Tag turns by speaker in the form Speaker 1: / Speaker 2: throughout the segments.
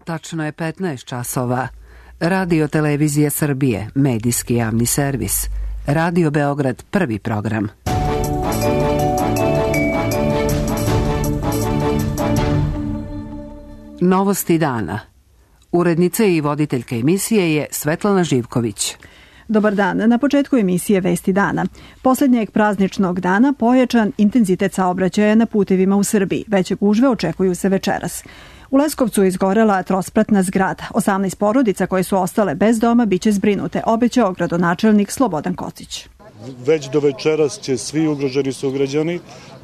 Speaker 1: Tačno je 15 časova. Radio Televizija Srbije, medijski javni servis. Radio Beograd, prvi program. Novosti dana. Urednica i voditeljka emisije je Svetlana Živković.
Speaker 2: Dobar dan. Na početku emisije Vesti dana. Poslednjeg prazničnog dana pojačan intenzitet saobraćaja na putevima u Srbiji. Veće gužve očekuju se večeras. U Leskovcu izgorela trospratna zgrada. 18 porodica koje su ostale bez doma biće zbrinute, obećao gradonačelnik Slobodan Kocić.
Speaker 3: Već do večeras će svi ugroženi sugrađani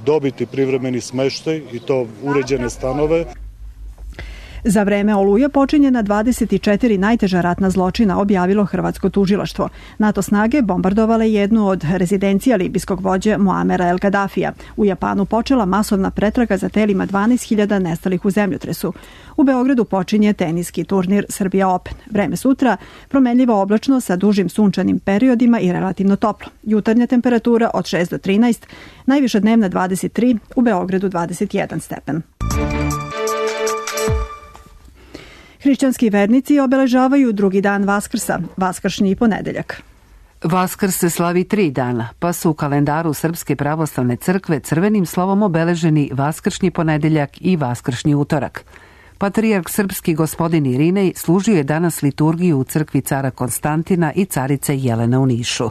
Speaker 3: dobiti privremeni smeštaj i to uređene stanove.
Speaker 2: Za vreme Oluje počinjena 24 najteža ratna zločina, objavilo hrvatsko tužilaštvo. NATO snage bombardovale jednu od rezidencija libijskog vođe Muamera El Gaddafija. U Japanu počela masovna pretraga za telima 12.000 nestalih u zemljotresu. U Beogradu počinje teniski turnir Srbija Open. Vreme sutra promenljivo oblačno sa dužim sunčanim periodima i relativno toplo. Jutarnja temperatura od 6 do 13, najviša dnevna 23, u Beogradu 21 stepen. Hrišćanski vernici obeležavaju drugi dan Vaskrsa, vaskršnji ponedeljak.
Speaker 1: Vaskrs se slavi 3 dana, pa su u kalendaru Srpske pravoslavne crkve crvenim slovom obeleženi vaskršnji ponedeljak i vaskršnji utorak. Patrijarh srpski gospodin Irinej služio je danas liturgiju u crkvi cara Konstantina i carice Jelene u Nišu.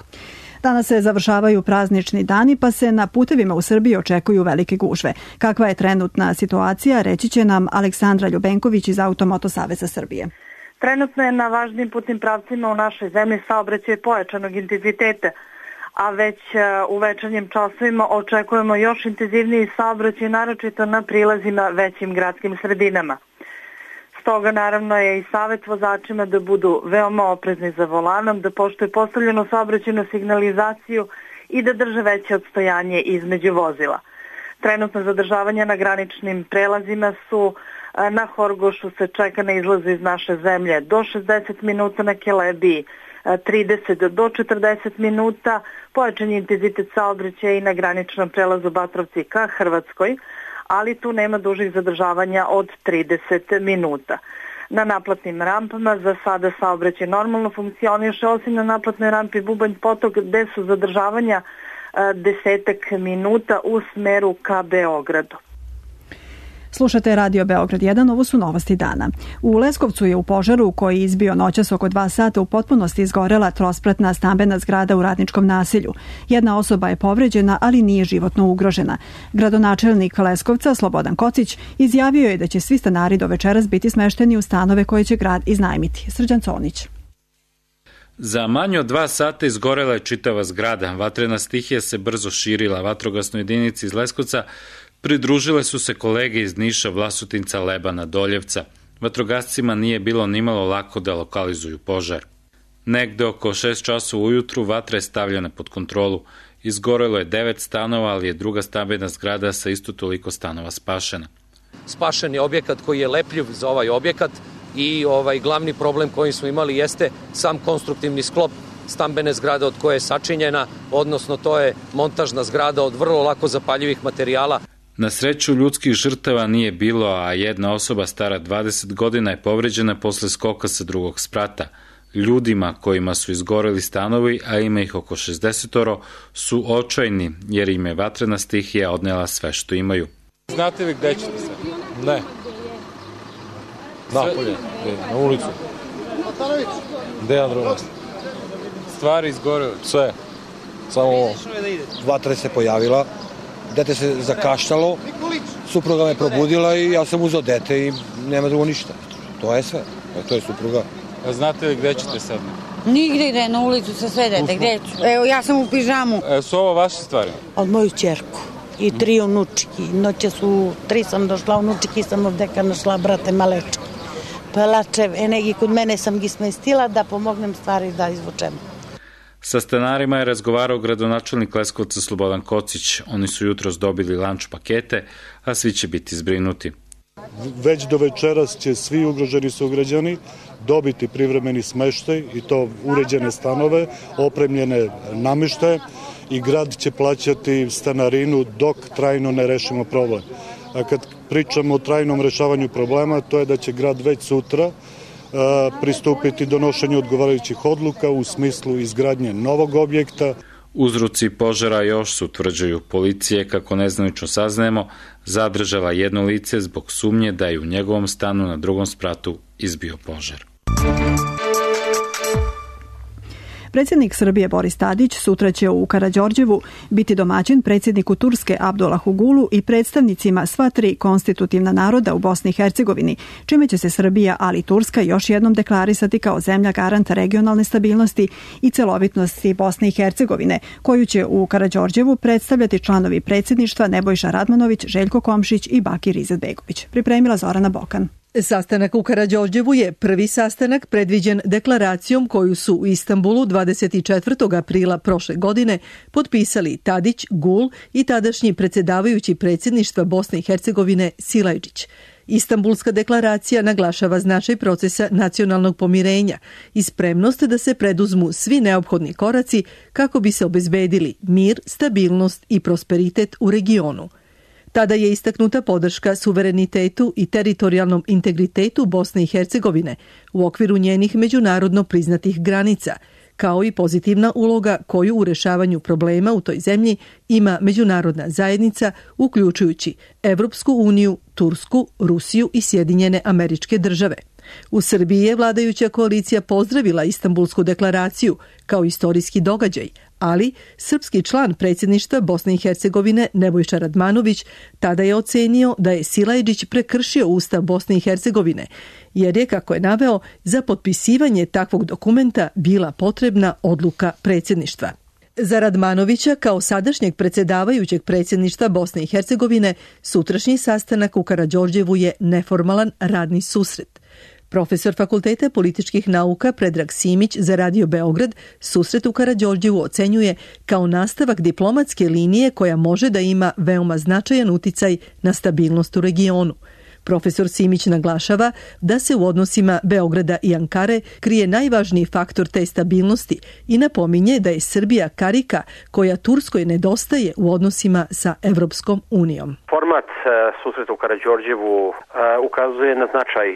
Speaker 2: Danas se završavaju praznični dani, pa se na putevima u Srbiji očekuju velike gužve. Kakva je trenutna situacija, reći će nam Aleksandra Ljubenković iz Automoto Saveza Srbije.
Speaker 4: Trenutno je na važnim putnim pravcima u našoj zemlji saobraćaj pojačanog intenziteta, a već u večernjim časovima očekujemo još intenzivniji saobraćaj, naročito na prilazima većim gradskim sredinama. Stoga naravno je i savjet vozačima da budu veoma oprezni za volanom, da poštuju postavljenu saobraćajnu signalizaciju i da drže veće odstojanje između vozila. Trenutno zadržavanja na graničnim prelazima su na Horgošu se čeka na izlazu iz naše zemlje do 60 minuta, na Kelebiji 30 do 40 minuta, pojačan je intenzitet saobraćaja i na graničnom prelazu Batrovci ka Hrvatskoj, ali tu nema dužih zadržavanja od 30 minuta. Na naplatnim rampama za sada saobraćaj normalno funkcioniše, osim na naplatnoj rampi Bubanj Potok gde su zadržavanja 10 minuta u smeru ka Beogradu.
Speaker 2: Slušate Radio Beograd 1, ovo su novosti dana. U Leskovcu je u požaru koji je izbio noćas oko 2 sata u potpunosti izgorela trospratna stambena zgrada u radničkom naselju. Jedna osoba je povređena, ali nije životno ugrožena. Gradonačelnik Leskovca Slobodan Kocić izjavio je da će svi stanari do večeras biti smešteni u stanove koje će grad iznajmiti. Srđan Conić.
Speaker 5: Za manje od 2 sata izgorela je čitava zgrada. Vatrena stihija se brzo širila. Vatrogasnoj jedinici iz Leskovca pridružile su se kolege iz Niša, Vlasotinca, Lebana, Doljevca. Vatrogascima nije bilo nimalo lako da lokalizuju požar. Negde oko 6 časova ujutru vatra je stavljena pod kontrolu. Izgorelo je 9 stanova, ali je druga stambena zgrada sa isto toliko stanova spašena.
Speaker 6: Spašen je objekat koji je lepljiv za ovaj objekat i glavni problem koji smo imali jeste sam konstruktivni sklop stambene zgrade od koje je sačinjena, odnosno to je montažna zgrada od vrlo lako zapaljivih materijala.
Speaker 5: Na sreću ljudskih žrtava nije bilo, a jedna osoba stara 20 godina je povređena posle skoka sa drugog sprata. Ljudima kojima su izgoreli stanovi, a ima ih oko 60, su očajni jer im je vatrena stihija odnela sve što imaju.
Speaker 7: Znate li gde ćete se? Ne. Napolje, na ulicu. Gde je drugo mesto? Stvari izgorele. Sve. Samo
Speaker 8: vatra se pojavila. Dete se zakaštalo, supruga me probudila i ja sam uzeo dete i nema drugo ništa. To je sve. To je supruga.
Speaker 7: A znate li gde ćete sad?
Speaker 9: Nigde ide, na ulicu sa sve dete. Gde ću? Evo, ja sam u pižamu.
Speaker 7: Su ovo vaše stvari?
Speaker 9: Od moju ćerku i 3 unučiki. Noće su 3 sam došla, unučiki sam ovdeka našla, brate malečki. Pelačev, enegi kod mene sam gi smestila da pomognem stvari da izvučemo.
Speaker 5: Sa stanarima je razgovarao gradonačelnik Leskovca Slobodan Kocić. Oni su jutros dobili lanč pakete, a svi će biti zbrinuti.
Speaker 3: Već do večeras će svi ugroženi sugrađani dobiti privremeni smeštaj i to uređene stanove, opremljene namještaje i grad će plaćati stanarinu dok trajno ne rešimo problem. a kad pričamo o trajnom rešavanju problema, to je da će grad već sutra pristupiti donošenju odgovarajućih odluka u smislu izgradnje novog objekta.
Speaker 5: Uzroci požara još su, tvrđaju policije, kako nezvanično saznajemo, zadržala jedno lice zbog sumnje da je u njegovom stanu na drugom spratu izbio požar.
Speaker 2: Predsjednik Srbije Boris Tadić sutra će u Karađorđevu biti domaćin predsjedniku Turske Abdullahu Gulu i predstavnicima sva tri konstitutivna naroda u Bosni i Hercegovini, čime će se Srbija, ali i Turska još jednom deklarisati kao zemlja garanta regionalne stabilnosti i celovitnosti Bosne i Hercegovine, koju će u Karađorđevu predstavljati članovi predsjedništva Nebojša Radmanović, Željko Komšić i Bakir Izetbegović. Pripremila Zorana Bokan.
Speaker 10: Sastanak u Karađorđevu je prvi sastanak predviđen deklaracijom koju su u Istanbulu 24. aprila prošle godine potpisali Tadić, Gul i tadašnji predsjedavajući predsjedništva Bosne i Hercegovine Silajdžić. Istanbulska deklaracija naglašava značaj procesa nacionalnog pomirenja i spremnost da se preduzmu svi neophodni koraci kako bi se obezbedili mir, stabilnost i prosperitet u regionu. Tada je istaknuta podrška suverenitetu i teritorijalnom integritetu Bosne i Hercegovine u okviru njenih međunarodno priznatih granica, kao i pozitivna uloga koju u rešavanju problema u toj zemlji ima međunarodna zajednica, uključujući Evropsku uniju, Tursku, Rusiju i Sjedinjene Američke Države. U Srbiji je vladajuća koalicija pozdravila Istanbulsku deklaraciju kao istorijski događaj, ali srpski član predsjedništva Bosne i Hercegovine Nebojša Radmanović tada je ocenio da je Silajdžić prekršio Ustav Bosne i Hercegovine, jer je, kako je naveo, za potpisivanje takvog dokumenta bila potrebna odluka predsjedništva. Za Radmanovića, kao sadašnjeg predsjedavajućeg predsjedništva Bosne i Hercegovine, sutrašnji sastanak u Karađorđevu je neformalan radni susret. Profesor Fakulteta političkih nauka Predrag Simić za Radio Beograd susret u Karađorđevu ocenjuje kao nastavak diplomatske linije koja može da ima veoma značajan uticaj na stabilnost u regionu. Profesor Simić naglašava da se u odnosima Beograda i Ankare krije najvažniji faktor te stabilnosti i napominje da je Srbija karika koja Turskoj nedostaje u odnosima sa Evropskom unijom.
Speaker 11: Format susreta u Karađorđevu ukazuje na značaj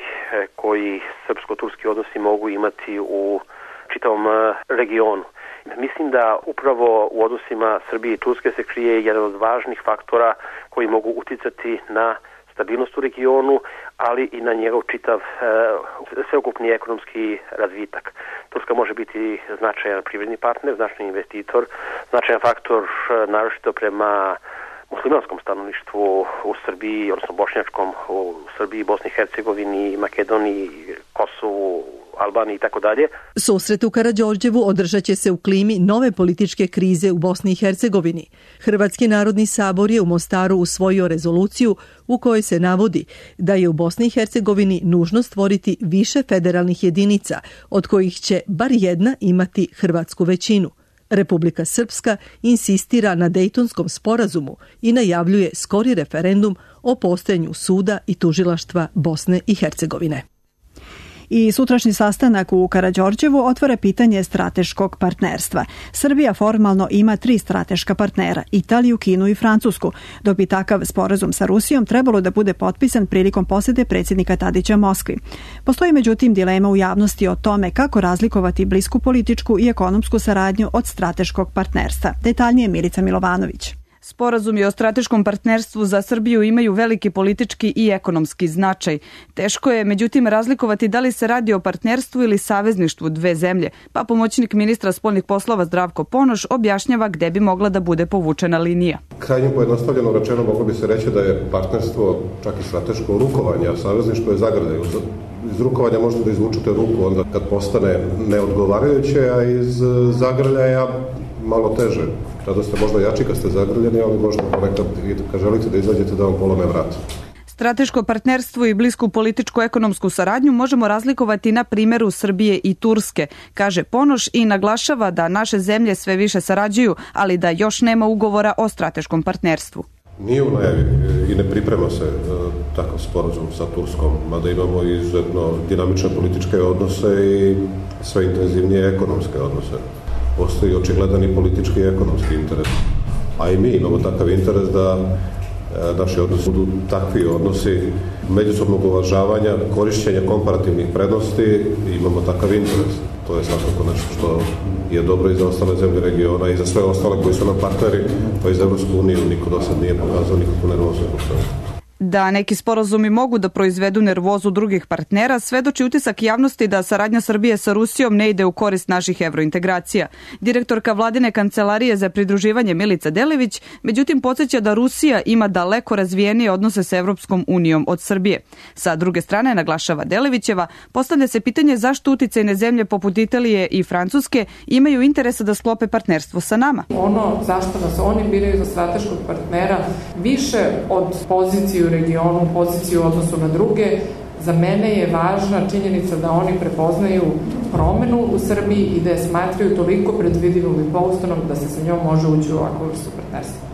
Speaker 11: koji srpsko-turski odnosi mogu imati u čitavom regionu. Mislim da upravo u odnosima Srbije i Turske se krije jedan od važnih faktora koji mogu uticati na stabilnost u regionu, ali i na njegov čitav sveukupni ekonomski razvitak. Turska može biti značajan privredni partner, značajan investitor, značajan faktor naročito prema muslimanskom stanovništvu u Srbiji, odnosno bošnjačkom u Srbiji, Bosni i Hercegovini, Makedoniji, Kosovu, Albaniji i tako dalje.
Speaker 10: Susret u Karađorđevu održat će se u klimi nove političke krize u Bosni i Hercegovini. Hrvatski narodni sabor je u Mostaru usvojio rezoluciju u kojoj se navodi da je u Bosni i Hercegovini nužno stvoriti više federalnih jedinica, od kojih će bar jedna imati hrvatsku većinu. Republika Srpska insistira na Dejtonskom sporazumu i najavljuje skori referendum o postojanju suda i tužilaštva Bosne i Hercegovine.
Speaker 2: I sutrašnji sastanak u Karađorđevu otvara pitanje strateškog partnerstva. Srbija formalno ima 3 strateška partnera, Italiju, Kinu i Francusku, dok bi takav sporazum sa Rusijom trebalo da bude potpisan prilikom posete predsjednika Tadića Moskvi. Postoji međutim dilema u javnosti o tome kako razlikovati blisku političku i ekonomsku saradnju od strateškog partnerstva. Detaljnije Milica Milovanović.
Speaker 12: Sporazumi o strateškom partnerstvu za Srbiju imaju veliki politički i ekonomski značaj. Teško je, međutim, razlikovati da li se radi o partnerstvu ili savezništvu dve zemlje, pa pomoćnik ministra spoljnih poslova Zdravko Ponoš objašnjava gde bi mogla da bude povučena linija.
Speaker 13: Krajnje pojednostavljeno rečeno moglo bi se reći da je partnerstvo čak i strateško rukovanje, a savezništvo je zagrada. Iz rukovanja možete da izvučete ruku onda kad postane neodgovarajuće, a iz zagrljaja malo teže. Tada ste možda jači kad ste zagrljeni, ali možda ponekad kad želite da izađete da vam polome vrat.
Speaker 12: Strateško partnerstvo i blisku političko-ekonomsku saradnju možemo razlikovati na primjeru Srbije i Turske, kaže Ponoš i naglašava da naše zemlje sve više sarađuju, ali da još nema ugovora o strateškom partnerstvu.
Speaker 13: Nije u najavi i ne priprema se takav sporazum sa Turskom, mada imamo izuzetno dinamične političke odnose i sve intenzivnije ekonomske odnose. Postoji očigledan i politički i ekonomski interes. A i mi imamo takav interes da naši odnosi budu takvi odnosi međusobnog uvažavanja, korišćenja komparativnih prednosti, imamo takav interes. To je svakako nešto što je dobro i za ostale zemlje regiona i za sve ostale koji su nam partneri, pa i za Evropsku uniju niko do sad nije pokazao nikakvu nervozu.
Speaker 12: Da neki sporazumi mogu da proizvedu nervozu drugih partnera, svedoči utisak javnosti da saradnja Srbije sa Rusijom ne ide u korist naših evrointegracija. Direktorka vladine kancelarije za pridruživanje Milica Delević, međutim, podsjeća da Rusija ima daleko razvijenije odnose sa Evropskom unijom od Srbije. Sa druge strane, naglašava Delevićeva, postavlja se pitanje zašto uticajne zemlje poput Italije i Francuske imaju interesa da sklope partnerstvo sa nama.
Speaker 14: Ono zašto nas oni biraju za strateškog partnera više od poziciju u regionu, poziciju u odnosu na druge, za mene je važna činjenica da oni prepoznaju promenu u Srbiji i da je smatraju toliko predvidivom i pouzdanom da se sa njom može ući u ovakvu vrstu partnerstva.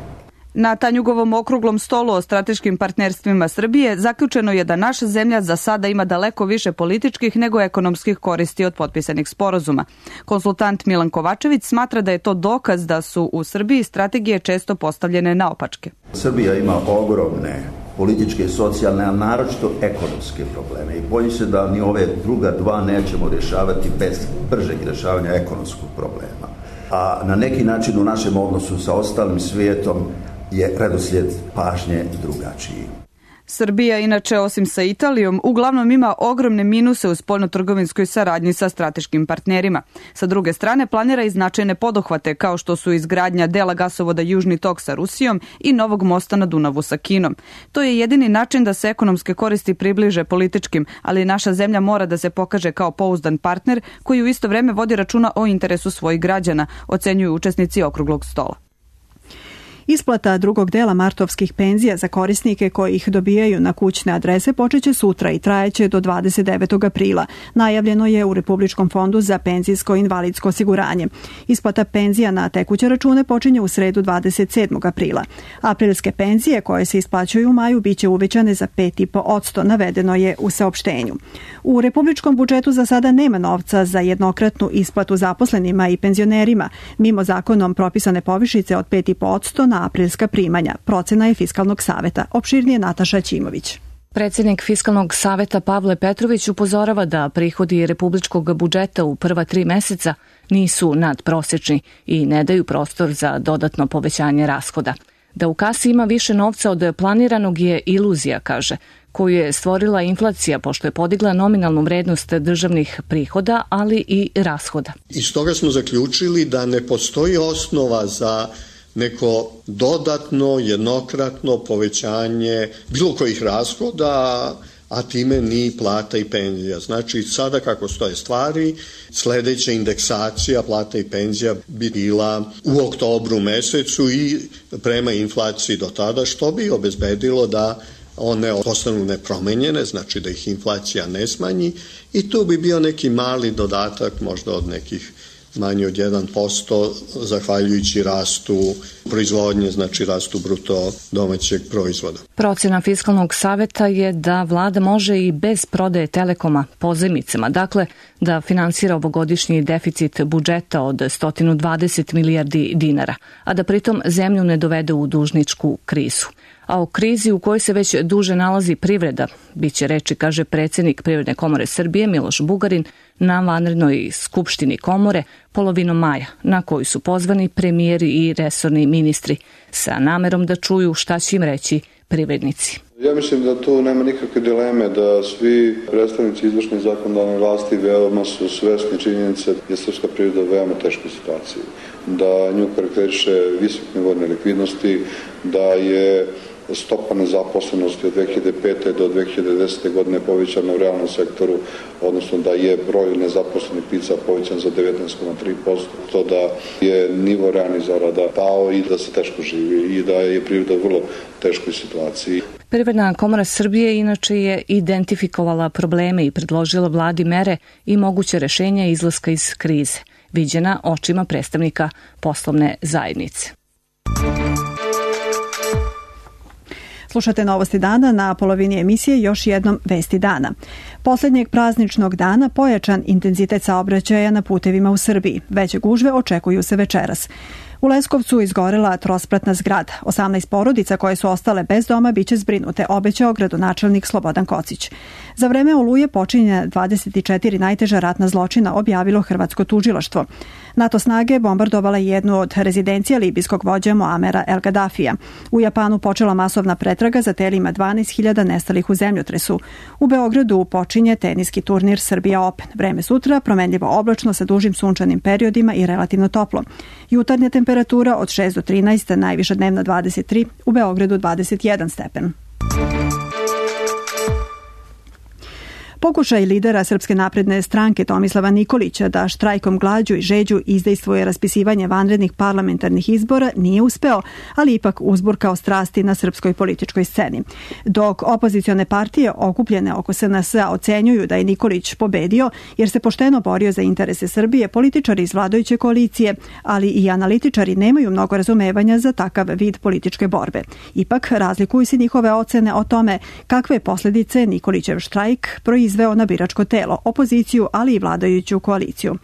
Speaker 12: Na Tanjugovom okruglom stolu o strateškim partnerstvima Srbije zaključeno je da naša zemlja za sada ima daleko više političkih nego ekonomskih koristi od potpisanih sporazuma. Konsultant Milan Kovačević smatra da je to dokaz da su u Srbiji strategije često postavljene naopačke.
Speaker 15: Srbija ima ogromne političke i socijalne, a naročito ekonomske probleme i bojim se da ni ove druga dva nećemo rješavati bez bržeg rješavanja ekonomskog problema. A na neki način u našem odnosu sa ostalim svijetom je redoslijed pažnje drugačiji.
Speaker 12: Srbija, inače, osim sa Italijom, uglavnom ima ogromne minuse u spoljnotrgovinskoj saradnji sa strateškim partnerima. Sa druge strane, planira i značajne poduhvate, kao što su izgradnja dela gasovoda Južni tok sa Rusijom i novog mosta na Dunavu sa Kinom. To je jedini način da se ekonomske koristi približe političkim, ali naša zemlja mora da se pokaže kao pouzdan partner koji u isto vreme vodi računa o interesu svojih građana, ocenjuju učesnici okruglog stola.
Speaker 2: Isplata drugog dela martovskih penzija za korisnike koji ih dobijaju na kućne adrese počeće sutra i trajeće do 29. aprila. Najavljeno je u Republičkom fondu za penzijsko i invalidsko osiguranje. Isplata penzija na tekuće račune počinje u sredu 27. aprila. Aprilske penzije koje se isplaćuju u maju biće uvećane za 5,5%, navedeno je u saopštenju. U Republičkom budžetu za sada nema novca za jednokratnu isplatu zaposlenima i penzionerima, mimo zakonom propisane povišice od 5,5% na aprilska primanja. Procena je Fiskalnog saveta. Opširnije Nataša Ćimović.
Speaker 16: Predsjednik Fiskalnog saveta Pavle Petrović upozorava da prihodi republičkog budžeta u prva 3 meseca nisu nadprosječni i ne daju prostor za dodatno povećanje rashoda. Da u kasi ima više novca od planiranog je iluzija, kaže, koju je stvorila inflacija pošto je podigla nominalnu vrednost državnih prihoda, ali i rashoda.
Speaker 17: Iz toga smo zaključili da ne postoji osnova za neko dodatno, jednokratno povećanje bilo kojih rashoda, a time ni plata i penzija. Znači, sada kako stoje stvari, sledeća indeksacija plata i penzija bi bila u oktobru mesecu i prema inflaciji do tada, što bi obezbedilo da one ostanu nepromenjene, znači da ih inflacija ne smanji i tu bi bio neki mali dodatak, možda od nekih manje od 1%, zahvaljujući rastu proizvodnje, znači rastu bruto domaćeg proizvoda.
Speaker 16: Procena Fiskalnog saveta je da vlada može i bez prodaje Telekoma pozajmicama, dakle da finansira ovogodišnji deficit budžeta od 120 milijardi dinara, a da pritom zemlju ne dovede u dužničku krizu. A o krizi u kojoj se već duže nalazi privreda biće reči, kaže predsjednik Privredne komore Srbije Miloš Bugarin na vanrednoj skupštini komore polovinom maja, na koju su pozvani premijeri i resorni ministri sa namerom da čuju šta će im reći privrednici.
Speaker 18: Ja mislim da tu nema nikakve dileme, da svi predstavnici izvršne zakonodavne vlasti veoma su svesni činjenice da je srpska privreda u veoma teškoj situaciji, da nju karakteriše visok nivo nelikvidnosti, da je stopa nezaposlenosti od 2005. do 2010. godine povećana u realnom sektoru, odnosno da je broj nezaposlenih lica povećan za 19,3%, to da je nivo realnih zarada pao i da se teško živi i da je privreda u vrlo teškoj situaciji.
Speaker 16: Privredna komora Srbije inače je identifikovala probleme i predložila vladi mere i moguće rešenja izlaska iz krize, viđena očima predstavnika poslovne zajednice.
Speaker 2: Slušate Novosti dana, na polovini emisije još jednom Vesti dana. Posljednjeg prazničnog dana pojačan intenzitet saobraćaja na putevima u Srbiji. Veće gužve očekuju se večeras. U Leskovcu izgorela trospratna zgrada. 18 porodica koje su ostale bez doma biće zbrinute, obećao gradonačelnik Slobodan Kocić. Za vreme Oluje počinjena 24 najteža ratna zločina, objavilo hrvatsko tužilaštvo. NATO snage bombardovale jednu od rezidencija libijskog vođa Muamera El Gaddafija. U Japanu počela masovna pretraga za telima 12.000 nestalih u zemljotresu. U Beogradu počinje teniski turnir Srbija Open. Vreme sutra promenljivo oblačno sa dužim sunčanim periodima i relativno toplo. Jutarnja temperatura od 6 do 13, najviša dnevna 23, u Beogradu 21 stepen. Pokušaj lidera Srpske napredne stranke Tomislava Nikolića da štrajkom glađu i žeđu izdejstvuje raspisivanje vanrednih parlamentarnih izbora nije uspeo, ali ipak uzburkao strasti na srpskoj političkoj sceni. Dok opozicione partije okupljene oko SNS-a ocenjuju da je Nikolić pobedio jer se pošteno borio za interese Srbije, političari iz vladajuće koalicije, ali i analitičari nemaju mnogo razumevanja za takav vid političke borbe. Ipak razlikuju se njihove ocene o tome kakve posljedice Nikolićev štrajk proizveo na biračko telo, opoziciju, ali i vladajuću koaliciju.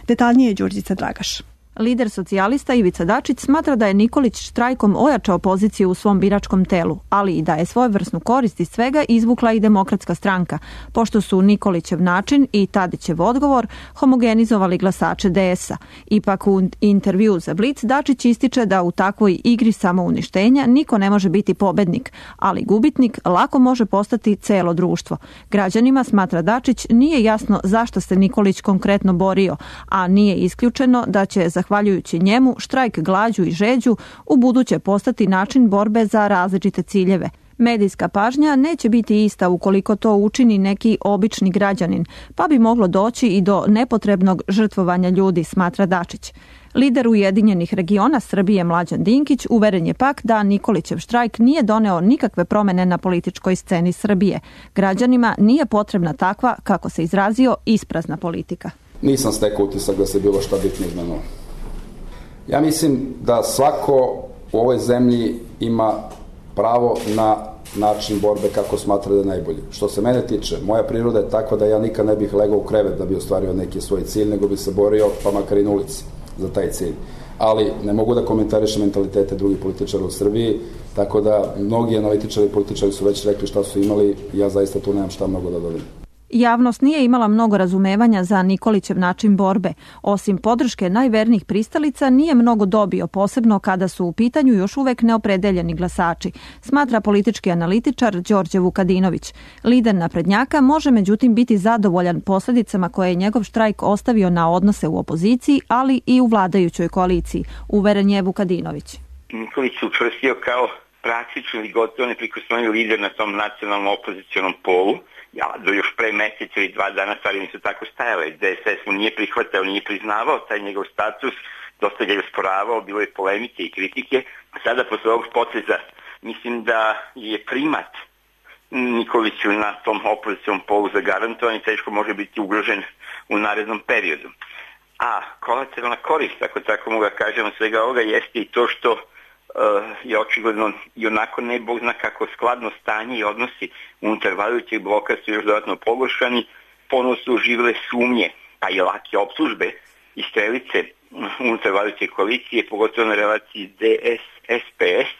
Speaker 2: Detaljnije Đurđica Dragaš.
Speaker 19: Lider socijalista Ivica Dačić smatra da je Nikolić štrajkom ojačao poziciju u svom biračkom telu, ali i da je svojevrsnu korist iz svega izvukla i Demokratska stranka, pošto su Nikolićev način i Tadićev odgovor homogenizovali glasače DS-a. Ipak u intervju za Blic Dačić ističe da u takvoj igri samouništenja niko ne može biti pobednik, ali gubitnik lako može postati celo društvo. Građanima, smatra Dačić, nije jasno zašto se Nikolić konkretno borio, a nije isključeno da će zahvaljujući njemu štrajk glađu i žeđu u buduće postati način borbe za različite ciljeve. Medijska pažnja neće biti ista ukoliko to učini neki obični građanin, pa bi moglo doći i do nepotrebnog žrtvovanja ljudi, smatra Dačić. Lider Ujedinjenih regiona Srbije Mlađan Dinkić uveren je pak da Nikolićev štrajk nije doneo nikakve promene na političkoj sceni Srbije. Građanima nije potrebna takva, kako se izrazio, isprazna politika.
Speaker 20: Nisam stekao utisak da se bilo šta bitno izmenilo. Ja mislim da svako u ovoj zemlji ima pravo na način borbe kako smatra da je najbolji. Što se mene tiče, moja priroda je takva da ja nikad ne bih legao u krevet da bi ostvario neki svoj cilj, nego bi se borio pa makar i na ulici za taj cilj. Ali ne mogu da komentarišem mentalitete drugih političara u Srbiji, tako da mnogi analitičari i političari su već rekli šta su imali i ja zaista tu nemam šta mnogo da dodam.
Speaker 19: Javnost nije imala mnogo razumevanja za Nikolićev način borbe. Osim podrške najvernijih pristalica, nije mnogo dobio, posebno kada su u pitanju još uvek neopredeljeni glasači, smatra politički analitičar Đorđe Vukadinović. Lider naprednjaka može međutim biti zadovoljan posljedicama koje je njegov štrajk ostavio na odnose u opoziciji, ali i u vladajućoj koaliciji, uveren je Vukadinović.
Speaker 21: Nikolić se učvrstio kao praktično ili gotovo neprikosnoveni lider na tom nacionalnom opozicionom polu. Ja, do još pre mjesec ili 2 dana stvari nisu tako stajale. DSS mu nije prihvatao, nije priznavao taj njegov status, dosta ga je usporavao, bilo je polemike i kritike. Sada, posle ovog poteza, mislim da je primat Nikoliću na tom opozicijom polu zagarantovan i teško može biti ugrožen u narednom periodu. A kolateralna korist, ako tako mogu da kažemo, svega ovoga jeste i to što je očigledno i onako ne bog zna kako skladno stanje i odnosi unutar vladajućeg bloka su još dodatno pogoršani, ponovno su oživile sumnje, pa i lake optužbe i strelice unutar vladajuće koalicije, pogotovo na relaciji DS-SPS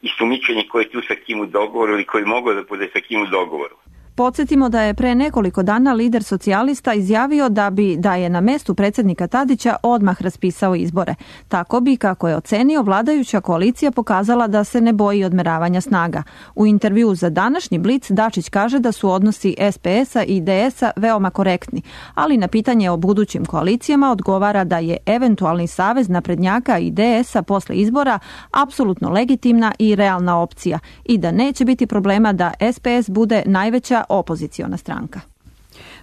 Speaker 21: i sumnjičenje koje je tu sa kim u dogovoru ili koji mogu da bude sa kim u dogovoru.
Speaker 19: Podsjetimo da je pre nekoliko dana lider socijalista izjavio da je na mestu predsjednika Tadića odmah raspisao izbore. Tako bi, kako je ocenio, vladajuća koalicija pokazala da se ne boji odmeravanja snaga. U intervju za današnji Blic Dačić kaže da su odnosi SPS-a i DS-a veoma korektni, ali na pitanje o budućim koalicijama odgovara da je eventualni savez naprednjaka i DS-a posle izbora apsolutno legitimna i realna opcija i da neće biti problema da SPS bude najveća opoziciona stranka.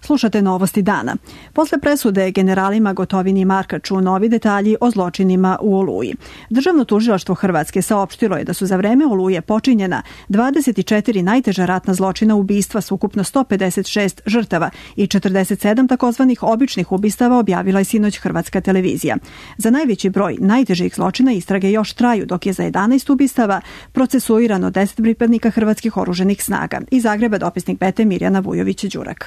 Speaker 2: Slušate novosti dana. Posle presude generalima Gotovini i Markaču novi detalji o zločinima u Oluji. Državno tužilaštvo Hrvatske saopštilo je da su za vreme Oluje počinjena 24 najteža ratna zločina ubistva s ukupno 156 žrtava i 47 takozvanih običnih ubistava, objavila je sinoć Hrvatska televizija. Za najveći broj najtežih zločina istrage još traju, dok je za 11 ubistava procesuirano 10 pripadnika hrvatskih oruženih snaga. Iz Zagreba dopisnik BT Mirjana Vujović-Đurak.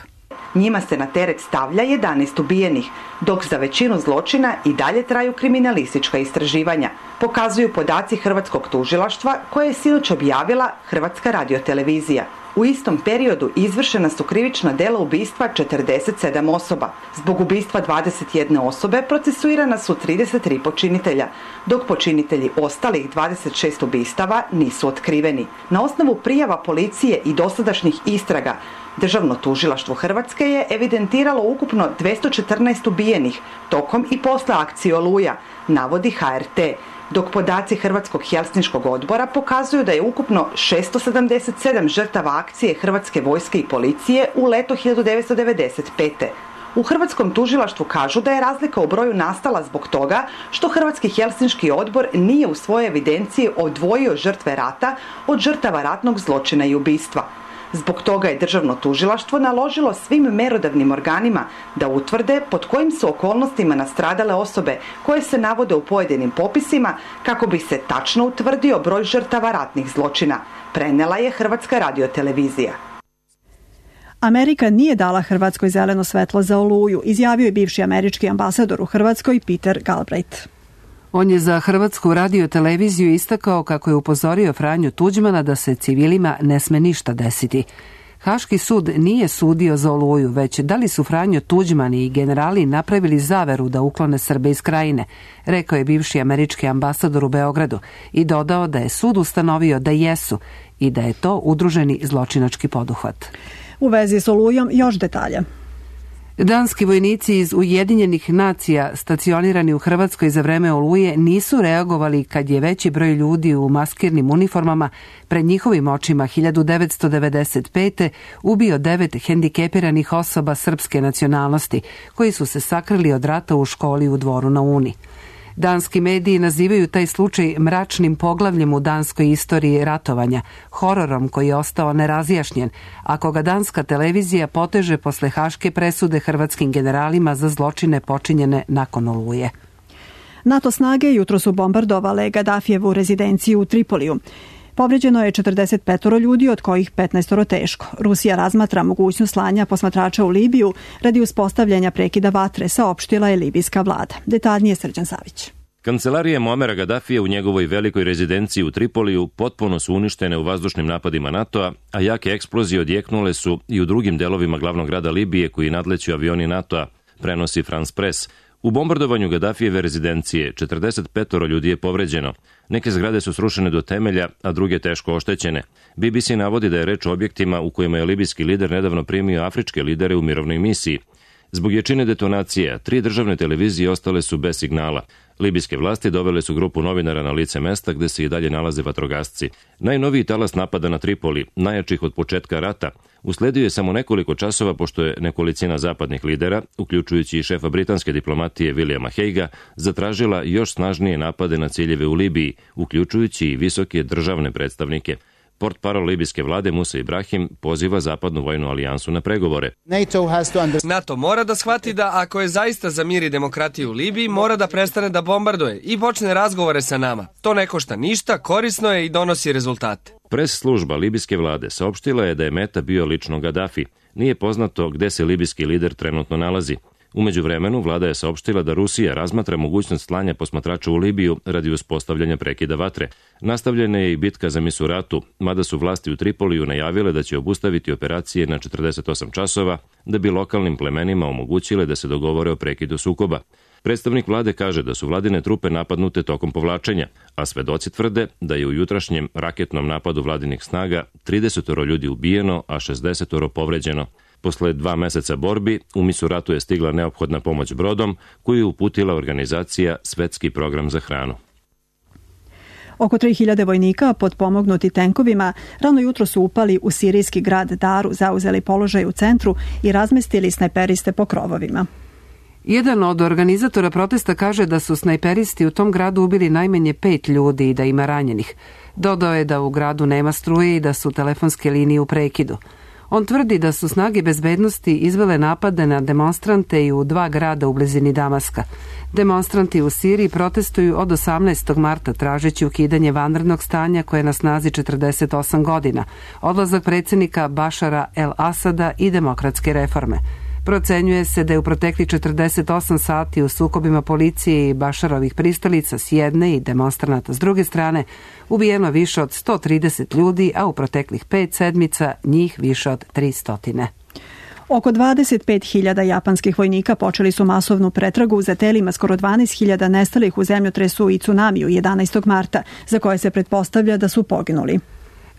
Speaker 1: Njima se na teret stavlja 11 ubijenih, dok za većinu zločina i dalje traju kriminalistička istraživanja, pokazuju podaci Hrvatskog tužilaštva koje je sinoć objavila Hrvatska radiotelevizija. U istom periodu izvršena su krivična dela ubistva 47 osoba. Zbog ubistva 21 osobe procesuirana su 33 počinitelja, dok počinitelji ostalih 26 ubistava nisu otkriveni. Na osnovu prijava policije i dosadašnjih istraga, Državno tužilaštvo Hrvatske je evidentiralo ukupno 214 ubijenih tokom i posle akcije Oluja, navodi HRT, dok podaci Hrvatskog Helsinškog odbora pokazuju da je ukupno 677 žrtava akcije Hrvatske vojske i policije u leto 1995. U Hrvatskom tužilaštvu kažu da je razlika u broju nastala zbog toga što Hrvatski Helsinški odbor nije u svojoj evidenciji odvojio žrtve rata od žrtava ratnog zločina i ubistva. Zbog toga je Državno tužilaštvo naložilo svim merodavnim organima da utvrde pod kojim su okolnostima nastradale osobe koje se navode u pojedinim popisima kako bi se tačno utvrdio broj žrtava ratnih zločina, prenela je Hrvatska radiotelevizija.
Speaker 2: Amerika nije dala Hrvatskoj zeleno svetlo za Oluju, izjavio je bivši američki ambasador u Hrvatskoj Peter Galbraith.
Speaker 22: On je za Hrvatsku radioteleviziju istakao kako je upozorio Franju Tuđmana da se civilima ne sme ništa desiti. Haški sud nije sudio za Oluju, već da li su Franjo Tuđman i generali napravili zaveru da uklone Srbe iz krajine, rekao je bivši američki ambasador u Beogradu i dodao da je sud ustanovio da jesu i da je to udruženi zločinački poduhvat.
Speaker 2: U vezi s Olujom još detalja.
Speaker 22: Danski vojnici iz Ujedinjenih nacija stacionirani u Hrvatskoj za vreme Oluje nisu reagovali kad je veći broj ljudi u maskirnim uniformama pred njihovim očima 1995. ubio 9 hendikepiranih osoba srpske nacionalnosti koji su se sakrili od rata u školi u Dvoru na Uni. Danski mediji nazivaju taj slučaj mračnim poglavljem u danskoj istoriji ratovanja, hororom koji je ostao nerazjašnjen, ako ga danska televizija poteže posle haške presude hrvatskim generalima za zločine počinjene nakon Oluje.
Speaker 2: NATO snage jutro su bombardovale Gaddafijevu rezidenciju u Tripoliju. Povređeno je 45 ljudi, od kojih 15 teško. Rusija razmatra mogućnost slanja posmatrača u Libiju radi uspostavljanja prekida vatre, saopštila je libijska vlada. Detaljnije Srđan Savić.
Speaker 23: Kancelarije Muamera Gaddafija u njegovoj velikoj rezidenciji u Tripoliju potpuno su uništene u vazdušnim napadima NATO-a, a jake eksplozije odjeknule su i u drugim delovima glavnog grada Libije koji nadleću avioni NATO-a, prenosi France Press. U bombardovanju Gaddafijeve rezidencije 45 ljudi je povređeno. Neke zgrade su srušene do temelja, a druge teško oštećene. BBC navodi da je reč o objektima u kojima je libijski lider nedavno primio afričke lidere u mirovnoj misiji. Zbog jačine detonacija, 3 državne televizije ostale su bez signala. Libijske vlasti dovele su grupu novinara na lice mesta gde se i dalje nalaze vatrogasci. Najnoviji talas napada na Tripoli, najjačih od početka rata, usledio je samo nekoliko časova pošto je nekolicina zapadnih lidera, uključujući i šefa britanske diplomatije Williama Haiga, zatražila još snažnije napade na ciljeve u Libiji, uključujući i visoke državne predstavnike. Portparol libijske vlade Musa Ibrahim poziva zapadnu vojnu alijansu na pregovore.
Speaker 24: NATO mora da shvati da ako je zaista za mir i demokratiju u Libiji, mora da prestane da bombarduje i počne razgovore sa nama. To ne košta ništa, korisno je i donosi rezultate.
Speaker 23: Pres služba libijske vlade saopštila je da je meta bio lično Gaddafi. Nije poznato gde se libijski lider trenutno nalazi. U međuvremenu vlada je saopštila da Rusija razmatra mogućnost slanja posmatrača u Libiju radi uspostavljanja prekida vatre. Nastavljena je i bitka za Misuratu, mada su vlasti u Tripoliju najavile da će obustaviti operacije na 48 časova da bi lokalnim plemenima omogućile da se dogovore o prekidu sukoba. Predstavnik vlade kaže da su vladine trupe napadnute tokom povlačenja, a svedoci tvrde da je u jutrašnjem raketnom napadu vladinih snaga 30 ljudi ubijeno, a 60 povređeno. Posle 2 meseca borbi, u Misuratu je stigla neophodna pomoć brodom koju je uputila organizacija Svetski program za hranu.
Speaker 2: Oko 3000 vojnika potpomognuti tenkovima rano jutro su upali u sirijski grad Daru, zauzeli položaj u centru i razmestili snajperiste po krovovima.
Speaker 22: Jedan od organizatora protesta kaže da su snajperisti u tom gradu ubili najmanje 5 ljudi i da ima ranjenih. Dodao je da u gradu nema struje i da su telefonske linije u prekidu. On tvrdi da su snage bezbednosti izvele napade na demonstrante i u 2 grada u blizini Damaska. Demonstranti u Siriji protestuju od 18. marta tražeći ukidanje vanrednog stanja koje je na snazi 48 godina, odlazak predsjednika Bašara el-Asada i demokratske reforme. Procenjuje se da je u proteklih 48 sati u sukobima policije i Bašarovih pristalica s jedne i demonstranata s druge strane ubijeno više od 130 ljudi, a u proteklih 5 sedmica njih više od 300.
Speaker 2: Oko 25.000 japanskih vojnika počeli su masovnu pretragu za telima skoro 12.000 nestalih u zemljotresu i tsunamiju 11. marta, za koje se pretpostavlja da su poginuli.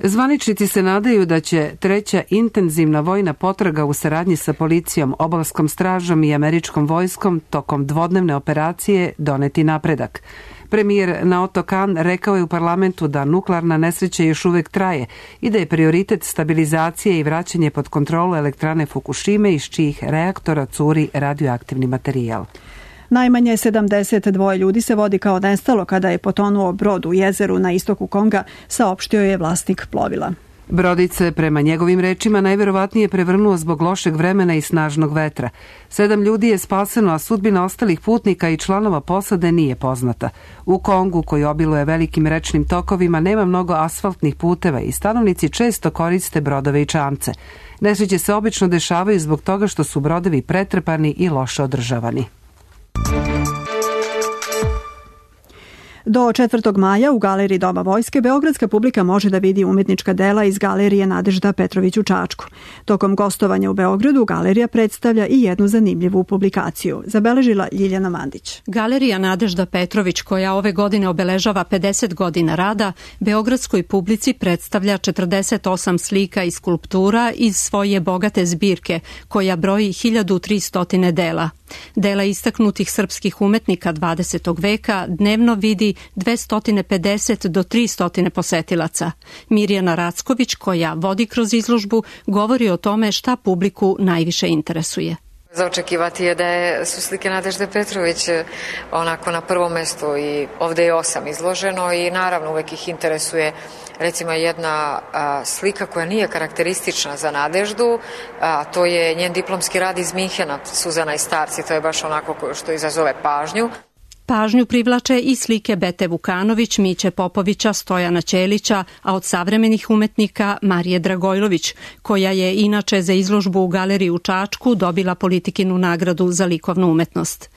Speaker 22: Zvaničnici se nadaju da će 3. intenzivna vojna potraga u saradnji sa policijom, obalskom stražom i američkom vojskom tokom dvodnevne operacije doneti napredak. Premijer Naoto Kan rekao je u parlamentu da nuklearna nesreća još uvek traje i da je prioritet stabilizacije i vraćanje pod kontrolu elektrane Fukushime iz čijih reaktora curi radioaktivni materijal.
Speaker 2: Najmanje 72 ljudi se vodi kao nestalo kada je potonuo brod u jezeru na istoku Konga, saopštio je vlasnik plovila.
Speaker 22: Brodić se, prema njegovim rečima, najverovatnije prevrnuo zbog lošeg vremena i snažnog vetra. 7 ljudi je spaseno, a sudbina ostalih putnika i članova posade nije poznata. U Kongu, koji obiluje velikim rečnim tokovima, nema mnogo asfaltnih puteva i stanovnici često koriste brodove i čamce. Nesreće se obično dešavaju zbog toga što su brodovi pretrpani i loše održavani. Do 4. maja u Galeriji Doma vojske beogradska publika može da vidi umetnička dela iz Galerije Nadežda Petrović u Čačku. Tokom gostovanja u Beogradu galerija predstavlja i jednu zanimljivu publikaciju, zabeležila Ljiljana Mandić.
Speaker 4: Galerija Nadežda Petrović, koja ove godine obeležava 50 godina rada, beogradskoj publici predstavlja 48 slika i skulptura iz svoje bogate zbirke, koja broji 1300 dela. Dela istaknutih srpskih umetnika 20. veka dnevno vidi 250 do 300 posetilaca. Mirjana Racković, koja vodi kroz izložbu, govori o tome šta publiku najviše interesuje.
Speaker 6: Za očekivati je da su slike Nadežde Petrović onako na prvom mestu i ovde je 8 izloženo i naravno uvek ih interesuje recimo jedna slika koja nije karakteristična za Nadeždu, a to je njen diplomski rad iz Minhena, Suzana i starci, to je baš onako što izazove pažnju.
Speaker 4: Pažnju privlače i slike Bete Vukanović, Miće Popovića, Stojana Ćelića, a od savremenih umetnika Marije Dragojlović, koja je inače za izložbu u Galeriji u Čačku dobila Politikinu nagradu za likovnu umetnost.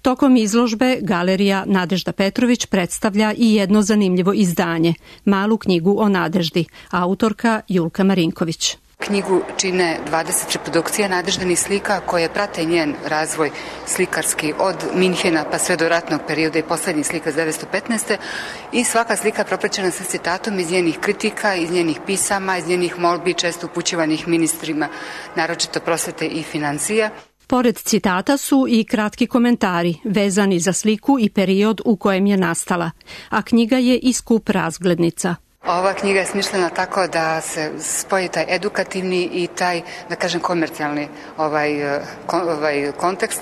Speaker 4: Tokom izložbe Galerija Nadežda Petrović predstavlja i jedno zanimljivo izdanje, malu knjigu o Nadeždi, autorka Julka Marinković.
Speaker 7: Knjigu čine 20 reprodukcija Nadeždinih slika koje prate njen razvoj slikarski od Minhena pa sve do ratnog perioda i poslednjih slika iz 1915. I svaka slika propraćena sa citatom iz njenih kritika, iz njenih pisama, iz njenih molbi, često upućivanih ministrima, naročito prosvete i financija.
Speaker 4: Pored citata su i kratki komentari vezani za sliku i period u kojem je nastala, a knjiga je i skup razglednica.
Speaker 7: Ova knjiga je smišljena tako da se spoji taj edukativni i taj, da kažem, komercijalni kontekst.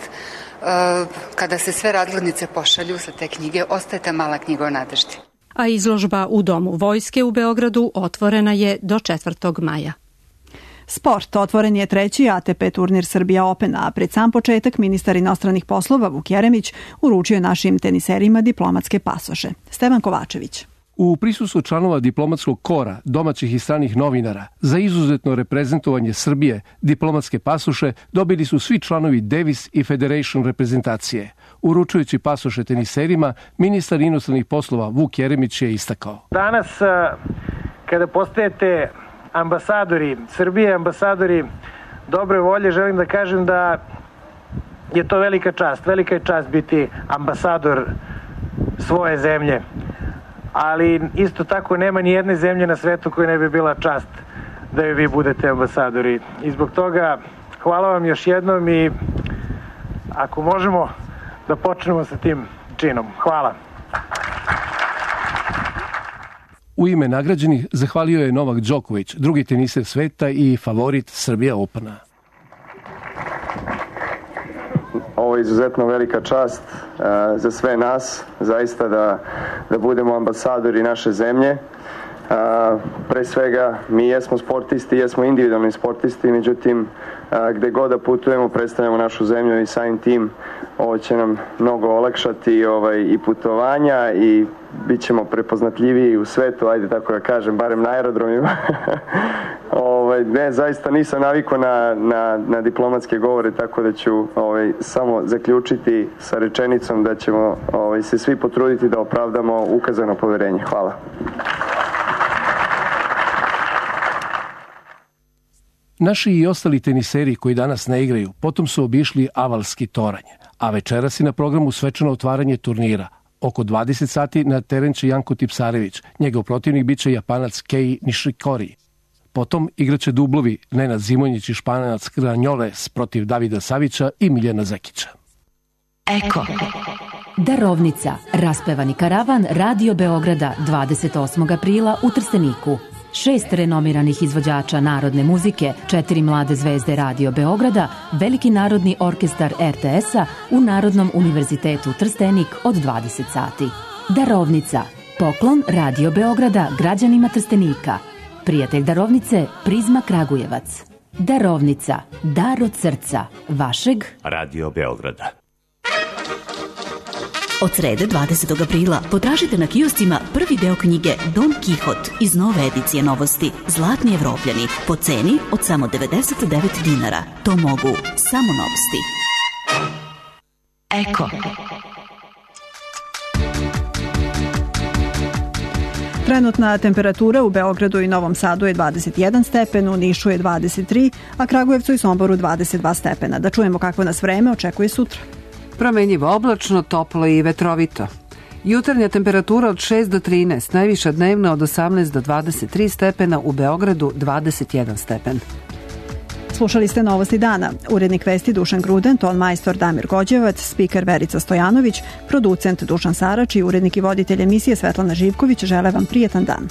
Speaker 7: Kada se sve razglednice pošalju sa te knjige, ostaje ta mala knjiga o Nadeždi.
Speaker 4: A izložba u Domu vojske u Beogradu otvorena je do 4. maja.
Speaker 2: Sport. Otvoren je 3. ATP turnir Srbija Open, a pred sam početak ministar inostranih poslova Vuk Jeremić uručio našim teniserima diplomatske pasoše. Stevan Kovačević.
Speaker 8: U prisustvu članova diplomatskog kora, domaćih i stranih novinara, za izuzetno reprezentovanje Srbije, diplomatske pasoše dobili su svi članovi Davis i Federation reprezentacije. Uručujući pasoše teniserima, ministar inostranih poslova Vuk Jeremić je istakao.
Speaker 25: Danas, kada postajete ambasadori Srbije, ambasadori dobre volje, želim da kažem da je to velika čast. Velika je čast biti ambasador svoje zemlje. Ali isto tako nema ni jedne zemlje na svetu koja ne bi bila čast da joj vi budete ambasadori. I zbog toga hvala vam još jednom i ako možemo da počnemo sa tim činom. Hvala.
Speaker 8: U ime nagrađenih zahvalio je Novak Đoković, drugi teniser sveta i favorit Srbija Opena.
Speaker 26: Ovo je izuzetno velika čast za sve nas, zaista da budemo ambasadori naše zemlje. Pre svega, mi jesmo sportisti, jesmo individualni sportisti, međutim, gde god da putujemo, predstavljamo našu zemlju i samim tim ovo će nam mnogo olakšati i putovanja i bit ćemo prepoznatljiviji u svetu, ajde tako da kažem, barem na aerodromima. Ne, zaista nisam navikao na diplomatske govore, tako da ću samo zaključiti sa rečenicom da ćemo se svi potruditi da opravdamo ukazano poverenje. Hvala.
Speaker 8: Naši i ostali teniseri koji danas ne igraju potom su obišli Avalski toranj, a večeras je na programu svečano otvaranje turnira. Oko 20 sati na teren će Janko Tipsarević, njegov protivnik biće Japanac Kei Nishikori. Potom igraće dublovi Nenad Zimonjić i Španac Granjoles protiv Davida Savića i Miljana Zekića.
Speaker 3: Eko. Darovnica. Raspevani karavan Radio Beograda 28. aprila u Trsteniku. 6 renomiranih izvođača narodne muzike, 4 mlade zvezde Radio Beograda, Veliki narodni orkestar RTS-a u Narodnom univerzitetu Trstenik od 20 sati. Darovnica. Poklon Radio Beograda građanima Trstenika. Prijatelj darovnice Prizma Kragujevac. Darovnica. Dar od srca. Vašeg
Speaker 5: Radio Beograda.
Speaker 3: Od srede 20. aprila potražite na kioscima prvi deo knjige Don Kihot iz nove edicije Novosti Zlatni Evropljani po ceni od samo 99 dinara. To mogu samo Novosti. Eko.
Speaker 2: Trenutna temperatura u Beogradu i Novom Sadu je 21 stepen, u Nišu je 23, a Kragujevcu i Somboru 22 stepena. Da čujemo kakvo nas vreme očekuje sutra.
Speaker 22: Promenjivo oblačno, toplo i vetrovito. Jutarnja temperatura od 6 do 13, najviša dnevna od 18 do 23 stepena, u Beogradu 21 stepen.
Speaker 2: Slušali ste Novosti dana. Urednik vesti Dušan Gruden, ton majstor Damir Gođevac, spiker Verica Stojanović, producent Dušan Sarač i urednik i voditelj emisije Svetlana Živković žele vam prijetan dan.